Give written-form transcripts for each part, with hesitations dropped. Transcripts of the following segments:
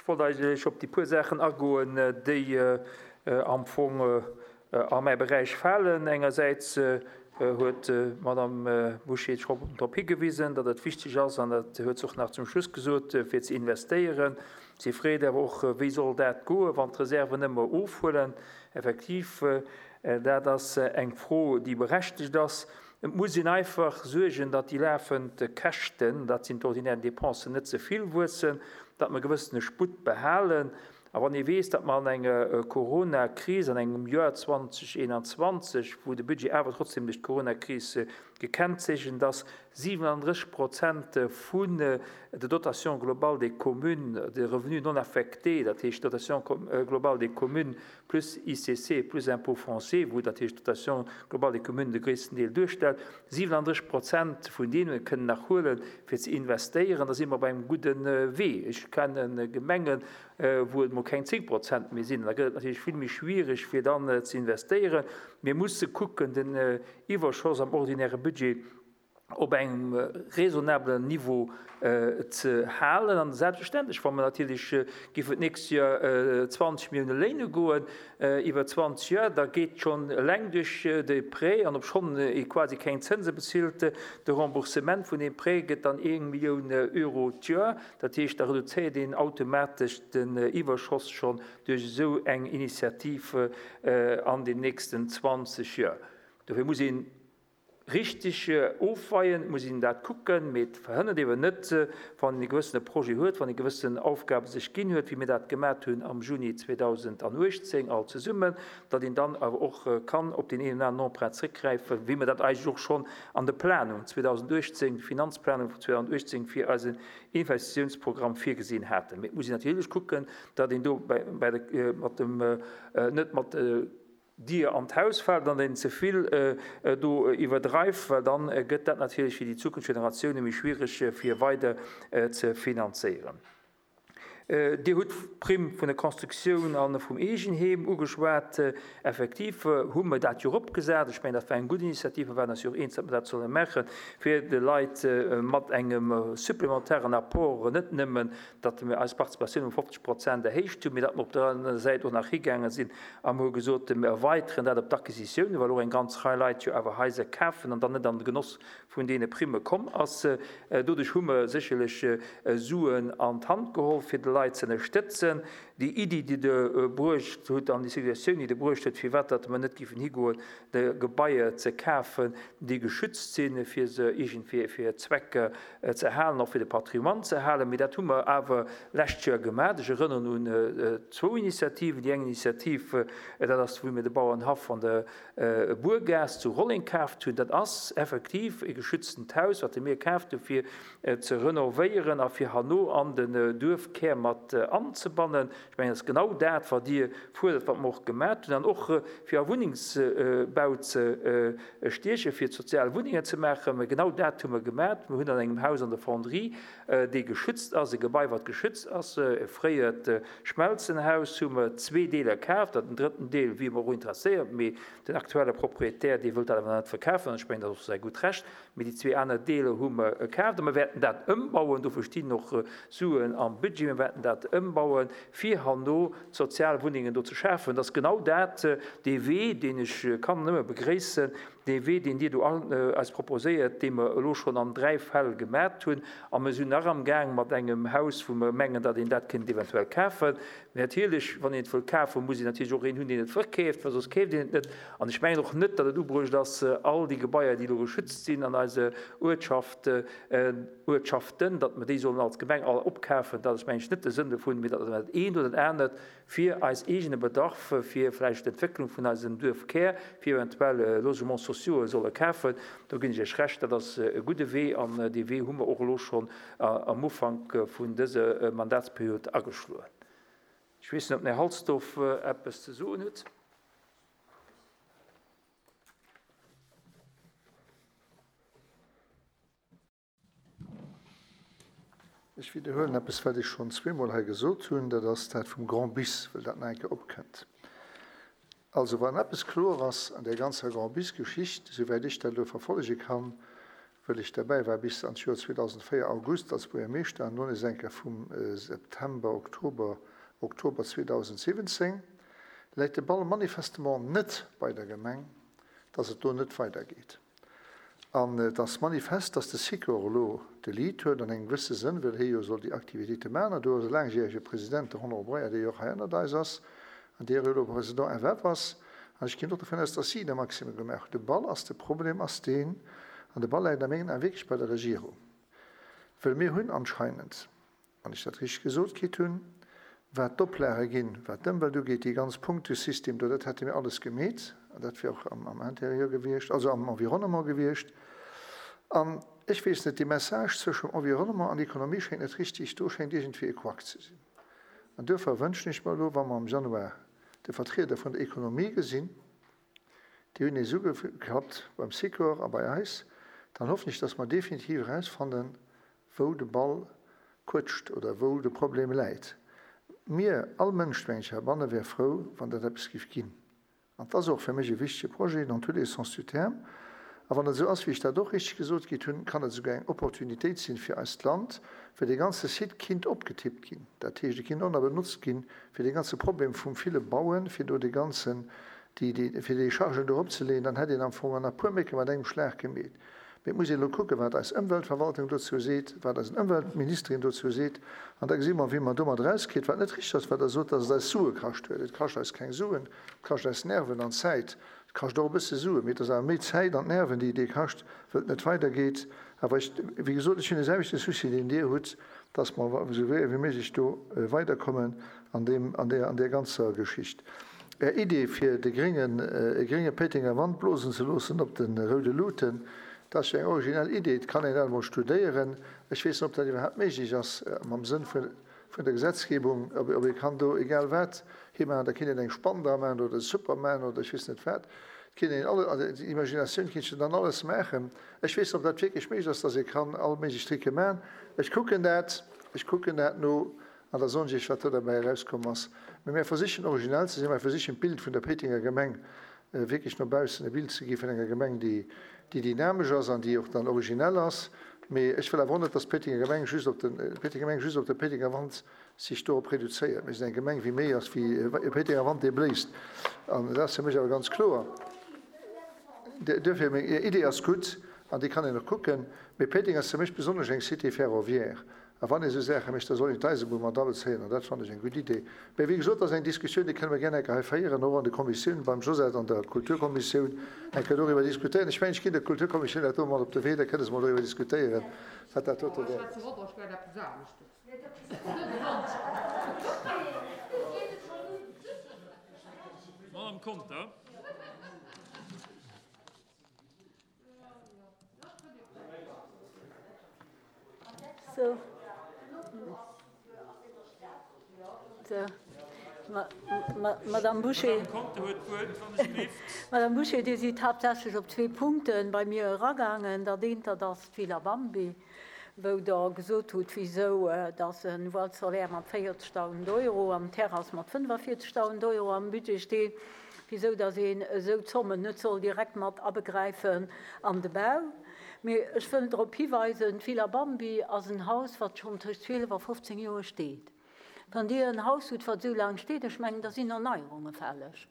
Ech wollt eigentlech op déi puer Saachen agoen, déi am Fong a mäi Beräich falen. Engersäits huet d'Madame Bouché scho drop higewisen, datt et wichteg ass, an dat huet se och nach zum Schluss gesot, fir ze investéieren. Si freet awer och, Wéi soll dat goen, wann d'Reserven ëmmer ofhuelen? Effektiv, dat ass eng Fro, déi berechtegt ass. Et muss een einfach suergen, datt déi lafend Käschten, dat sinn d'ordinär Dépensen, net ze vill wuessen, datt mer e gewëssene Sputt behalen. A wann ee weess, datt mer an enger Coronakris, an engem Joer 2021, wou de Budget awer trotzdem duerch d'Coronakris gekennzeechent ass, 37 Prozent vun der Dotation globale des communes, de Revenus non affectés, dat heescht d'Dotation globale des communes plus ICC plus Impôt foncier, wou dat heescht d'Dotation globale des communes de gréissten Deel duerstellt, 37 Prozent vun deene kënnen nach huelen, fir ze investéieren, da si mer op engem gudde Wee. Ech kenne Gemengen, wou et emol keng 10 Prozent méi sinn. Da gëtt et natierlech vill méi schwierig, fir dann ze investéieren. Mir musse kucken, den Iwwerschoss am ordinäre Budget op engem raisonnablen Niveau ze halen. An selbstverständlech, wa mer natierlech géifen d'nächst Joer 20 Millioune léine goen iwwer 20 Joer, da geet schonn eleng duerch de Prêt, an obschonn ee quasi keng Zënse bezilt, de Remboursement vun deem Prêt gëtt dann eng Millioun Euro d'Joer. Dat heescht, da reduzéiert een automatesch den Iwwerschoss schonn duerch esou eng Initiativ an den nächsten 20 Joer. Dofir muss een Richteg ofweien, et muss een dat kucken, mee et verhënnert eeben net, wann een e gewëssene Projet huet, wann ee gewëssen Aufgabe sech ginn huet, wéi mir dat gemat hunn am Juni 2018 all zesummen, datt een dann awer och kann op deen een oder aneren Emprunt zréckgräifen, wéi mir dat eigentlech och schonn an der Planung 2018, Finanzplanung vun 2018 fir eisen Investitiounsprogramm virgesinn haten. Mee et muss een natierlech kucken, datt een do bei de mat dem net mat Dier an d'Haus fält an een ze vill do iwwerdreift, well dann gëtt dat natierlech fir déi zukünfteg Generatioune méi schwiereg fir weider ze finanzéieren. Dir hutt d'Primm vun der Constructioun a vum Eegenheem ugeschwat. Effektiv hu mer dat jo eropgesat. Ech mengen, dat war eng gutt Initiativ. Mer waren eis jo och eens, datt mer dat solle maachen, fir de Leit mat engem supplementaren Apport net nëmmen datt mir eis Participatioun ëm 50 Prozent erhéicht hunn, mee datt mer op der anerer Säit och nach higaange sinn a mer hu gesot, mir erweiteren dat op d'Acquisitiounen, well och eng ganz Rei Leit jo awer Haiser kafen an dann net an de Genoss vun deene Primme komm ass. Doduerch hu mer sécherlech Suen an d'Hand geholl, fir de Leit ze ënnerstëtzen. Déi Iddi, déi Der bruecht hutt an déi Suggestioun, déi Der bruecht hutt, firwat datt mer net géifen higoen, de Gebaier ze kafen, déi geschützt sinn, fir se iergendwéi fir hir Zwecker ze halen, och fir de Patrimoine ze halen. Mee dat hu mer awer lescht Joer gemaach. Ech erënneren un zwou Initiativen. Déi eng Initiativ, dat ass, wou mir de Bauernhaff an der Buergaass zu Rolleng kaaft hunn. Dat ass effektiv e geschütztent Haus, wat mir kaaft hu fir ze renovéieren a fir herno an den Duerfkär mat anzebannen. Ech mengen, dat ass genau dat, wat Dir fuerdert, wat mer och gemat hunn. An och fir a Wunnengsbau ze stiechen, fir sozial Wunnengen ze maachen. Mä genau dat hu mer gemat. Mir hunn an engem Haus an der Fonderie, dee geschützt ass, e Gebai, wat geschützt ass, e fréiert Schmelzenhaus, hu mer zwee Deeler kaaft. Den drëtten Deel wier mer och interesséiert, mee den aktuelle Proprietär, dee wëllt dat awer nach net verkafen. An ech mengen, dat ass och säi gutt Recht. Mee déi zwee aner Deeler hu mer kaaft a mer wäerten dat ëmbauen. Dofir stinn och Suen am Budget. Mir wäerten dat ëmbauen, fir herno Sozialwunnengen do ze schafen. Dat ass genau dat, dee Wee, deen ech kann nëmme begréissen, dee Wee, deen Dir do eis proposéiert, dee mer elo schonn an dräi Fäll gemat hunn. A mer sinn nach amgaang mat engem Haus, wou mer mengen, datt een dat kéint eventuell kafen. Mee natierlech, wann een et wëll kafen, muss een natierlech och een hunn, deen et verkeeft, well soss keeft een et net. An ech mengen och net, datt et ubruecht ass, all déi Gebaier, déi elo geschützt sinn an eise Uertschaft, Uertschaften, datt mer déi sollen als Gemeng all opkafen. Dat ass, mengen ech, net de Sënn dovun, mee datt mer dat eent oder dat anert fir eis eegene Bedarf, fir vläicht d'Entwécklung vun eisem Duerfkär, fir eventuell Logements sociauxe solle kafen. Do ginn ech Iech Recht, dat ass e gudde Wee an dee Wee hu mer och elo schonn am Ufank vun dëser Mandatsperiod ageschloen. Ech weess net, ob den Här Halsdorf eppes ze soen huet. Ech widderhuelen eppes, wat ech schonn zweemol hei gesot hunn, dat ass dat vum Grand Bis, well dat nach eng Kéier opkënnt. Also, wann eppes kloer ass an där ganzer Grand Bis-Geschicht, esouwäit ech dat elo verfollege kann. Wëll ech derbäi war bis an d'Joer 2004, August, als Buergermeeschter an lo nees eng Kéier vum September, Oktober, Oktober 2017, läit de Ball manifestement net bei der Gemeng, dass et do net weidergeet. An et ass manifest, dass de Sikor elo de Lead huet an engem gewësse Sënn, well hie jo soll déi Aktivitéite maachen. An do ass e laangjärege President, de Honoré Breyer, dee jo och hei ënnert eis ass an dee jo elo Président FF ass. An ech ginn och dovun aus, dass si de Maximum gemaach hunn. De Ball ass, de Problem ass deen, an de Ball läit a mengen Aen wierklech bei der Regierung, well mir hunn anscheinend, wann ech dat richteg gesot kritt hunn, wat d'Oplage ginn, wat d'Ëmwelt ugeet, dee ganz Punktesystem do, dat hätte mir alles gemeet an dat wier och am Intérieur gewiescht, also am Environnement gewiescht. An ech weess net, dee Message zwëschem Environnement an Economie schéngt net richtig, do schéngt iergendwéi e Couac ze sinn. An duerfir wënschen ech mer elo, wa mer am Januar de Vertrieder vun der Economie gesinn, déi hunn nees ugeklappt beim Sikor a bei eis, dann hoffen ech, dass mer definitiv erausfannen, wou de Ball quëtscht oder wou de Problem läit. Mir, all Mënsch, meng ech, heibanne wär frou, wann dat eppes géif ginn. An 't ass och fir mech e wichtege Projet dans tous les sens du terme. A wann et esou ass, wéi ech dat och richteg gesot kritt hunn, kann et esouguer eng Opportunitéit sinn fir eist Land, well dee ganze Site kinnt opgetippt ginn. Dat heescht, e kinnt och nach benotzt ginn, fir dee ganze Problem vum ville Bauen, fir do dee ganzen, déi, déi, fir déi Chargen do eropzeleeën. Dann hätt een am Fong an e puer Mécke mat engem Schlag gemeet. Mee et muss een elo kucken, wat eis Ëmweltverwaltung dozou seet, wat eisen Ëmweltministerin dozou seet, an da gesi mer, wéi mer domat erauskritt. Wat net richteg ass, wat Der sot, dass et eis Sue kascht huet. Et kascht eis keng Suen, et kascht eis Nerven an Zäit. Et kascht och e bësse Suen, mee et ass awer méi Zäit an d'Nerven, déi et ee kascht, wëll et net weidergeet. Awer ech, wéi gesot, ech hunn de selwechte Souci, deen Dir hutt, dass mer esou séier wéi méiglech do weiderkommen an deem, an där, an där ganzer Geschicht. Är Idee fir de gréngen, e grénge Péitenger Wand blosen ze loossen op de roude Luuten, dat ass jo eng originell Idee. Et kann een dat emol studéieren. Ech weess net, ob dat iwwerhaapt méiglech ass mam Sënn vun der Gesetzgebung, ob ee kann do egal wat himaachen. Da kinnt een eng Spann dra maachen oder de Superman oder ech weess net wat. Et kinnt een alle, also d'Imaginatioun kinnt jo dann alles maachen. Ech weess net, ob dat wierklech méiglech ass, datt ee kann all méiglech Tricke maachen. Ech kucken dat, ech kucken dat no. An da soen ech Iech, wat do derbäi erauskomm ass. Mee mär versichen originell ze sinn, mär versichen d'Bild vun der Péitenger Gemeng wierklech no baussen e Bild ze gi vun enger Gemeng, déi dynamesch ass an déi och dann originell ass. Mee ech wëll awer och net, dass d'Péitenger Gemeng just op de Péitenger Gemeng just op de Péitenger Wand sech dorop reduzéiert. Mir sinn eng Gemeng, wéi méi ass wéi e Péitenger Wand, dee bléist. An dat ass fir mech awer ganz kloer. Duerfir, meng Idee ass gutt an déi kann een och kucken. Mee Péiteng ass fir mech besonnesch eng Cité ferroviaire. A wann ee sou Saache mécht, da soll een d'Eisebunn mat abezéien, an dat fannen ech eng gutt Idee. Mä wéi gesot, dat ass eng Diskussioun, déi kënne mer gär eng Kéier hei féieren, och an de Kommissiounen, beim Josette an der Kulturkommissioun eng Kéier doriwwer diskutéieren. Ech mengen, ech ginn der Kulturkommissioun dat do mat op de Wee, da kënne se mol doriwwer diskutéieren, wat dat dote wär. Madame Conter. So. So. Madame Boucher. Madame Boucher, Dir sidd haaptsächlech op zwee Punkte bei mir eragaangen. Dat eent, dat ass d'Villa Bambi, wou Der gesot hutt, wisou dass e Voile solaire mat 40.000 Euro an d'Terrass mat 45.000 Euro am Budget steet. wisou datt een esou Zommen net soll direkt mat abegräifen an de Bau. Mee ech wëll drop hiweisen, d'Villa Bambi ass en Haus, wat schonn tëscht 12 a 15 Joer steet. Wann Dir en Haus hutt, wat esou laang steet, ech mengen, da sinn Erneierunge fälleg.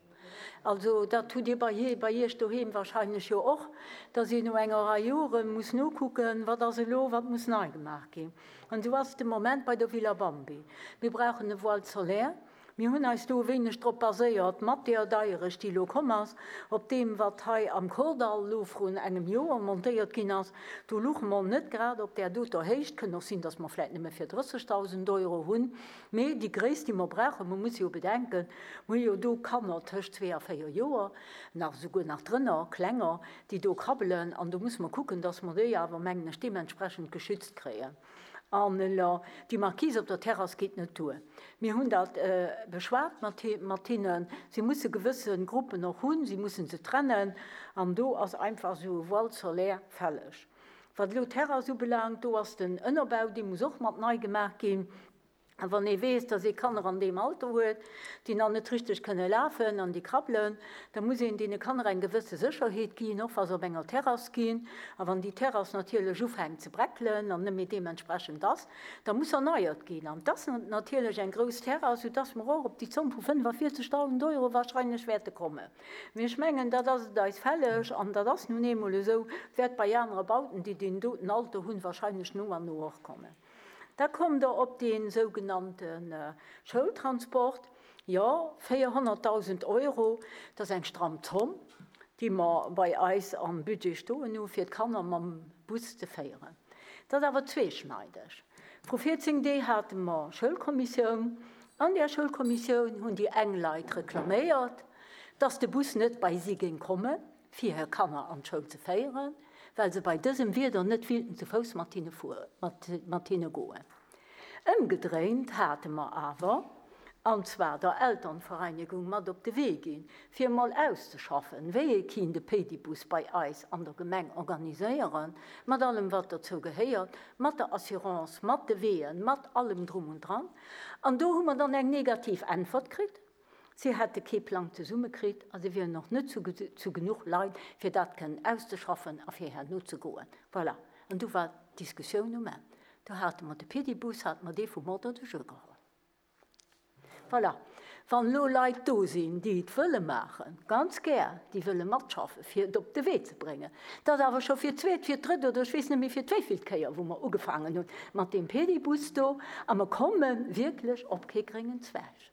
Also dat hutt Dir bei bei Iech doheem wahrscheinlech jo och, datt een no enger Rei Jore muss nokucken, wat ass elo, wat muss nei gemaach ginn. An esou ass et de Moment bei der Villa Bambi. Mir brauchen e Voile solaire. Mir hunn eis do e wéineg drop baséiert, mat deer Deierecht, déi elo komm ass, op deem, wat hei am Kordall elo vrun engem Joer montéiert ginn ass. Do luche mer net grad op där doter Héicht. Kënnt och sinn, dass mer vläicht nëmme fir 30.000 Euro hunn. Mee déi Gréisst, déi mer brauchen, mer musse jo bedenken, mer hu jo do Kanner tëscht zwee a véier Joer, nach esouguer nach drënner, klenger, déi do krabbelen. An do musse mer kucken, dass mer déi awer, mengen ech, deementsprechend geschützt kréien. An elo, déi Marquise op der Terrass geet net duer. Mir hunn dat beschwat mat hinnen. Si musse gewësse Gruppen och hunn, si musse se trennen. An do ass einfach esou e Voile solaire fälleg. Wat elo d'Terrass ubelaangt, do ass den Ënnerbau, dee muss och mat nei gemaach ginn. A wann ee weess, dass ee Kanner an deem Alter huet, déi nach net richteg kënne lafen an déi krabbelen, da muss een deene Kanner eng gewësse Sécherheet ginn, och wa se op enger Terrass ginn. A wann déi Terrass natierlech ufänkt ze breckelen an net méi deementsprechend ass, da muss erneiert ginn. An et ass natierlech eng grouss Terrass, soudass mer och op déi Zomm vu 45.000 Euro wahrscheinlech wäerte kommen. Mee ech mengen, dat ass et eis fälleg an dat ass nun eemol esou, wäert bei anere Bauten, déi deen doten Alter hunn, wahrscheinlech no an no och kommen. Da kommt Der op dee sougenannte Schoultransport. Jo, 400.000 Euro, dat ass eng stramm Zomm, déi mer bei eis am Budget stoen hu fir d'Kanner mam Bus ze féieren. Dat ass awer zweeschneideg. Vru 14 Deeg hate mer Schoulkommissioun. An där Schoulkommissioun hunn déi eng Leit reklaméiert, dass de Bus net bei si géing kommen. fir hir Kanner an d'Schoul ze féieren, well se bei dësem Wieder net willten zu Fouss mat hinne fueren, mat hinne goen. Ëmgedréint hate mer awer, an zwar der Elternvereinigung mat op de Wee ginn, fir emol auszeschaffen, wéi ee kinnt e Pédibus bei eis an der Gemeng organiséieren, mat allem wat dozou gehéiert, mat der Assurance, mat de Weeën, mat allem drum und dran. An do hu mer dann eng negativ Äntwert kritt. Si hätte kee Plang zesumme kritt a si wieren och net zu genuch Leit, fir dat kënnen auszeschaffen a fir herno ze goen. Voilà. An du war d'Diskussioun um Enn. Do hate mer de Pedibus, hate mer dee vum Ordre de jeu geholl. Voilà. Wann elo Leit do sinn, déi et wëlle maachen, ganz gär, déi wëlle matschaffen, fir et op de Wee ze bréngen. Dat ass awer scho fir d'zweet, fir d'drëtt oder ech weess net méi fir d'wéivilt Kéier, wou mer ugefaangen hunn mat deem Pedibus do a mer komme wierklech op kee gréngen Zweig.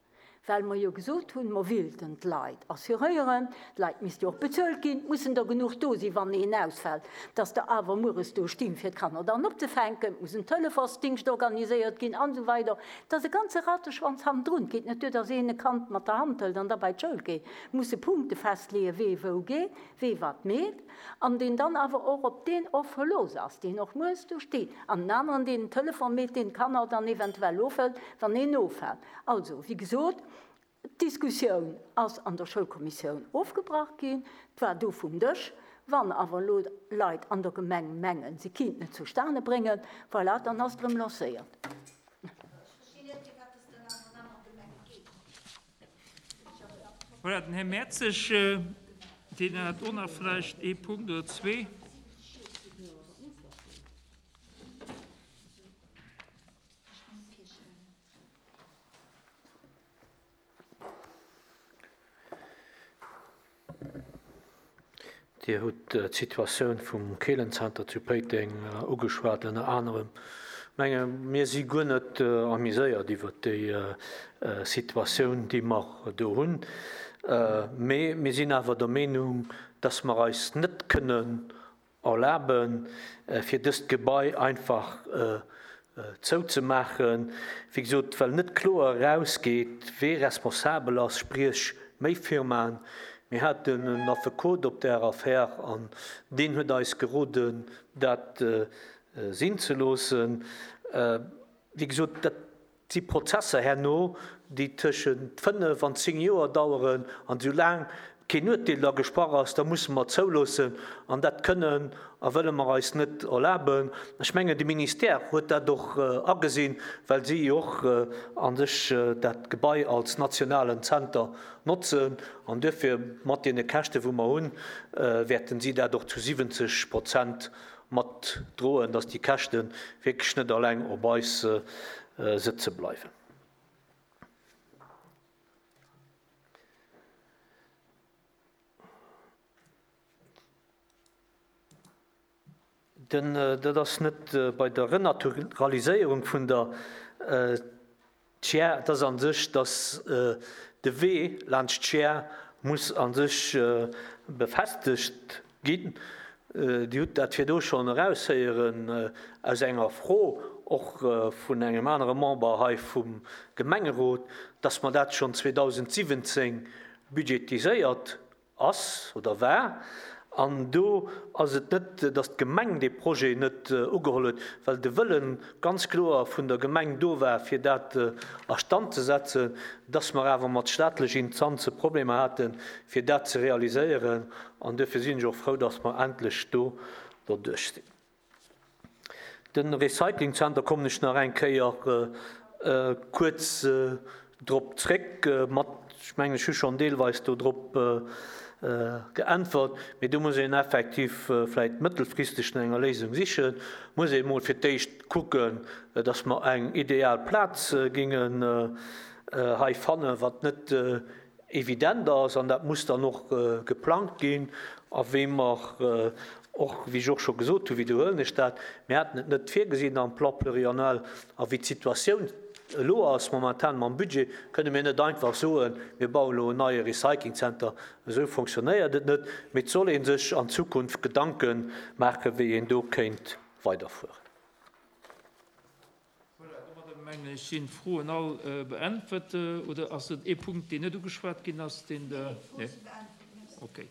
Well mer jo gesot hunn, mer willten d'Leit assuréieren, d'Leit misste jo och bezuelt ginn, et mussen der genuch do sinn, wann een ausfält, dass der awer mueres do stinn, fir d'Kanner dann opzefänken, et muss en Telefonsdingscht organiséiert ginn an esou weider. Et ass e ganze Rateschwanz hannendrun. Et geet net duer, dass een e Kand mat der Hand hëlt an da bei d'Schoul geet. Et musse Punkte festleeën, wee wou geet, wee wat meet, an deen dann awer och op deen och verlooss ass, deen och mueres do steet, an den aneren, deen den Telefon meet, deen d'Kanner dann eventuell ofhëlt, wann een offält. Also, wéi gesot, d'Diskussioun ass an der Schoulkommissioun ofgebrach ginn, et war du vum Dësch. Wann awer elo Leit an der Gemeng mengen, se kinnten et zustane bréngen, voilà, dann ass et erëm lancéiert. Voilà, den Här Mertzig, deen hat och nach vläicht ee Punkt oder zwee. Dir hutt d'Situatioun vum Keelenzenter zu Péiteng ugeschwat ënner anerem. Ech menge mir si guer net amuséiert iwwert déi Situatioun, déi mer do hunn. Mee mir sinn awer der Meenung, dass mer eis net kënnen erlaben, fir dëst Gebai einfach zouzemaachen, wéi gesot, well net kloer erausgeet, wee responsabel ass, spriech méi Firmaen. Mir haten en Affekot op där Affär an deen huet eis geroden, dat sinn ze loossen. Wéi gesot, dat Et si Prozesser herno, déi tëschent 5 an 10 Joer daueren, an soulaang keen Urteel da gesprach ass, da musse mer zouloossen, an dat kënnen a wëlle mer eis net erlaben. Ech mengen, de Ministère huet dat och agesinn, well si jo och a sech dat Gebai als nationalen Zenter notzen, an duerfir mat deene Käschte wou mer hunn, wäerten si dat och zu 70 Prozent mat droen, dass déi Käschte wierklech net alleng op eis sëtze bleiwen. Den, dat ass net bei der Renaturaliséierung vun der D'Schär, et ass a sech, datt de Wee laanscht d'Schär muss a sech befestegt ginn. Dir hutt dat virdu schonn eraushéieren aus enger Fro och vun engem anere Member hei vum Gemengerot, datt mer dat schonn 2017 budgetiséiert ass oder war. An do ass et net, datt d'Gemeng dee Projet net ugeholl huet, well de Wëlle ganz kloer vun der Gemeng do war, fir dat a Stand ze setzen, datt mer awer mat staatlech Instanze Problemer haten, fir dat ze realiséieren. An duerfir sinn ech och frou, datt mer endlech do derduerch sinn. De Recyclingzenter kommen ech nach eng Kéier. Kuerz drop zréck mat, ech mengen, ech hu schonn deelweis do drop geäntwert, mee do muss een effektiv vläicht mëttelfristeg no enger Léisung sichen, muss ee mol fir d'éischt kucken, dass mer eng ideal Plaz géingen hei fannen, wat net evident ass, an dat muss dann och geplangt ginn. A wéi mer och, wéi ech och scho gesot hunn, widderhuelen ech dat, mir haten et net virgesinn am Plan pluriannuel, a wéi d'Situatioun elo ass momentan mam Budget, kënne mir net einfach soen, mir bauen elo en neie Recyclingzenter. Esou fonctionnéiert et net, mee et soll ee sech an Zukunft Gedanke maachen, wéi een do kéint weiderfueren. Voilà, domadder mengen ech sinn d'Froen all beäntwert. Oder ass et ee Punkt, deen net ugeschwat ginn ass, deen Der. Nee, d'Froe si beäntwert, merci. Okay.